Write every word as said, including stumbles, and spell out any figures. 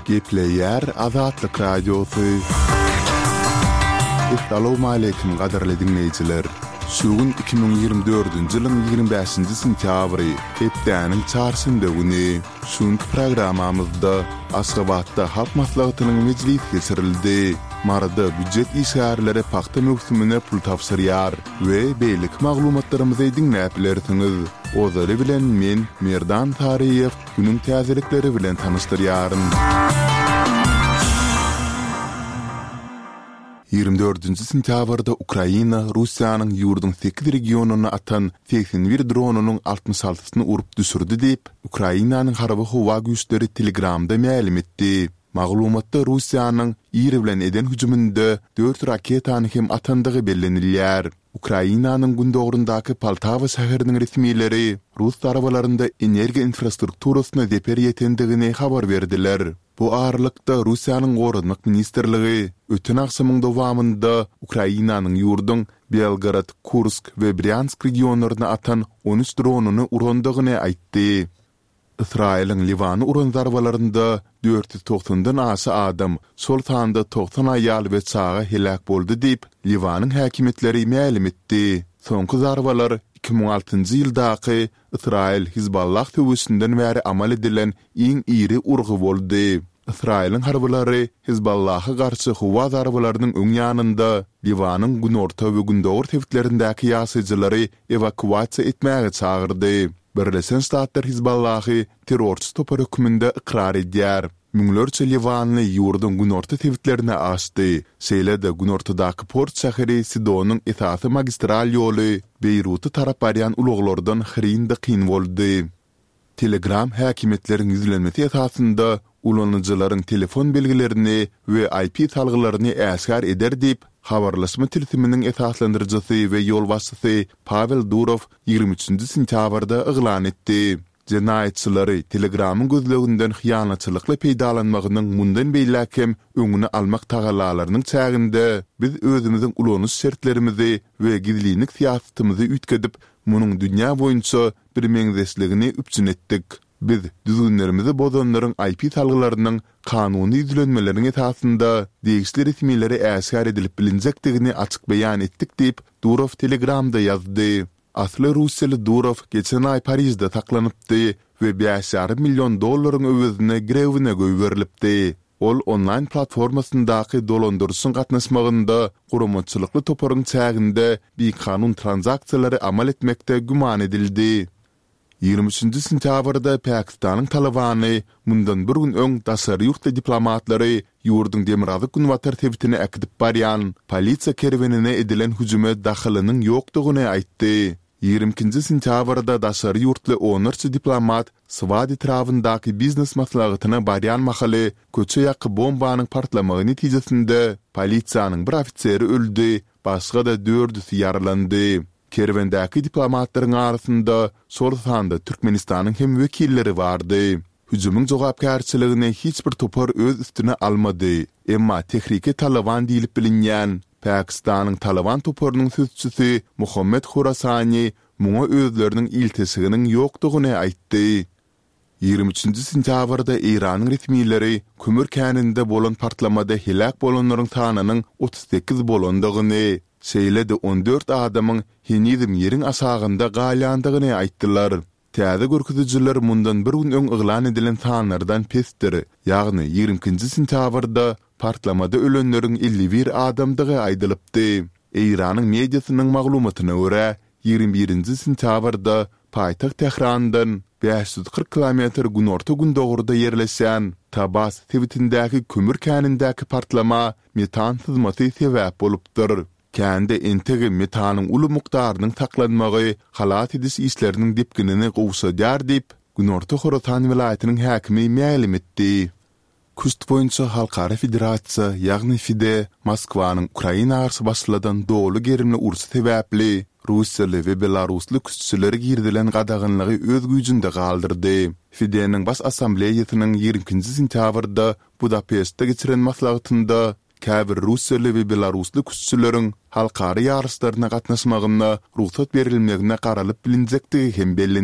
Gepleýär Azatlyk Radiosy. Essalawmaleýkim gadyrly diňleýjiler! Şu gün iki müň ýigrimi dördünji ýylyň ýigrimi bäşinji sentýabry, hepdäniň çarşenbe güni. Şu günki programmamyzda Aşgabatda Halk Maslahatynyň mejlisi geçirildi. Maryda býujet işgärleri pagta möwsümine pul tabşyrýar we beýleki maglumatlarymyzy diňläp bilersiňiz. Ozaly bilen men, Merdan Saryýew, günüň täzelikleri bilen tanyşdyrýaryn. Ýigrimi dördünji sentýabrda Ukraina Russiýanyň ýurduň sekiz regionyna atan segsen bir dronynyň altmyş altysyny urup düşürdi diýip, Ukrainanyň harby howa güýçleri Telegramda mälim etdi. Maglumatda Russiýanyň ir bilen eden hüjüminde dört raketany hem atandygy bellenilýär. Ukrainanyň gündogaryndaky Poltawa şäheriniň resmileri rus zarbalarynda energiýa infrastrukturasyna zeper ýetendigini habar berdiler. Bu aralykda, Russiýanyň Goranmak ministrligi öten agşamyň dowamynda Ukrainanyň ýurduň Belgorod, Kursk we Brýansk regionlaryna atan on üç dronyny urandygyny aýtdy. Ysraýylyň Liwana uran zarbalarynda dört ýüz togsandan aşa adam, şol sanda togsan aýal we çaga heläk boldy diýip, Liwanyň häkimiýetleri mälim etdi. Soňky zarbalar iki müň altynjy ýyldaky Ysraýyl-Hizballah söweşinden bäri amal edilen iň iri urgy boldy. Ysraýylyň harbylary Hizballaha garşy howa zarbalarynyň öň ýanynda Liwanyň günorta we gündogar sebitlerindäki ýaşaýjylary ewakuasiýa etmäge çagyrdy. Birleşen Ştatlar Hizballahy terrorçy topar hökmünde ykrar edýär. Müňlerçe liwanly ýurduň günorta sebitlerine aşdy. Şeýle-de günortadaky port şäheri Sidonyň esasy magistral ýoly Beýruta tarap barýan ulaglardan hyryn-dykyn boldy. Telegram häkimiýetleriň ýüzlenmesi esasynda ulanyjylaryň telefon belgilerini we IP salgylaryny äşgär eder diýip, habarlaşma tilsiminiň esaslandyryjysy we ýolbaşçysy Pawel Durow ýigrimi üçünji sentýabrda yglan etdi. Jenaýatçylary Telegramyň gözleginden hyýanatçylykly peýdalanmagynyň mundan beýläk hem öňüni almak tagallalarynyň çäginde biz özümiziň ulanyş şertlerimizi we gizlinlik syýasatymyzy üýtgedip, munuň dünýä boýunça birmeňzeşligini üpjün etdik. Biz düzgünlerimizi bozanlaryň IP salgylarynyň kanuny ýüzlenmeleriň esasynda degişli resmilere äşgär edilip bilinjekdigini açyk beýan etdik diýip, Durow Telegramda ýazdy. Asly russiýaly Durow geçen aý Parižde saklanypdy we bäş ýarym million dollaryň öwezine girewine goýberilipdi. Ol onlaýn platformasyndaky dolandyryşyň gatnaşmagynda guramaçylykly toparyň çäginde bikanun tranzaksiýalary amal etmekde güman edildi. Ýigrimi üçünji sentýabrda Pakistanyň Talybany mundan bir gün öň daşary ýurtly diplomatlary ýurduň demirgazyk-günbatar sebitine äkidip barýan polisiýa kerwenine edilen hüjüme dahylynyň ýokdugyny aýtdy. Ýigrimi ikinji sentýabrda daşary ýurtly onlarça diplomat Swat etrabyndaky biznes maslahatyna barýan mahaly köçe ýaky bombanyň partlamagy netijesinde polisiýanyň bir ofiseri öldi, başga-da dördüsi ýaralandy. Kerwendäki diplomatlaryň arasynda şol sanda Türkmenistanyň hem wekilleri bardy. Hüjümiň jogapkärçiligini hiç bir topar öz üstüne almady, emma Tehrike Talyban diýlip bilinýän Pakistanyň Talyban toparynyň sözçüsi Muhammed Horasani muňa özleriniň ilteşiginiň ýokdugyny aýtdy. Ýigrimi üçünji sentýabrda Eýranyň resmileri kömür käninde bolan partlamada heläk bolanlaryň sanynyň otuz sekiz bolandygyny, şeýle-de on dört adamyň henizem ýeriň aşagynda galýandygyny aýtdylar. Täze görkezijiler mundan bir gün öň yglan edilen sanlardan pesdir, ýagny ýigrimi ikinji sentýabrda partlamada ölenleriň elli bir adamdygy aýdylypdy. Eýranyň mediasynyň maglumatyna görä, ýigrimi birinji sentýabrda paýtagt Tährandan bäş ýüz kyrk kilometr günorta-gündogarda ýerleşýän Tabas sebitindäki kömür känindäki partlama metan syzmasy sebäp bolupdyr. Kände entegem metanyň uly mukdarynyň saklanmagy halas ediş işleriniň depginini gowşadýar diýip, Günorta Horasan welaýatynyň häkimi mälim etdi. Küşt boýunça halkara federasiýa, ýagny FIDE Moskwanyň Ukraina garşy başladan doly gerimli urşy sebäpli russiýaly we belarusly küştçülere girizilen gadaganlygy öz güýjünde galdyrdy. FIDE-niň Baş Assambleýasynyň ýigrimi ikinji sentýabrda Budapeştde geçiren maslahatynda käbir russiýaly we belarusly küştçüleriň halkara ýaryşlaryna gatnaşmagyna rugsat berilmegine garalyp bilinjekdigi hem bellenildi.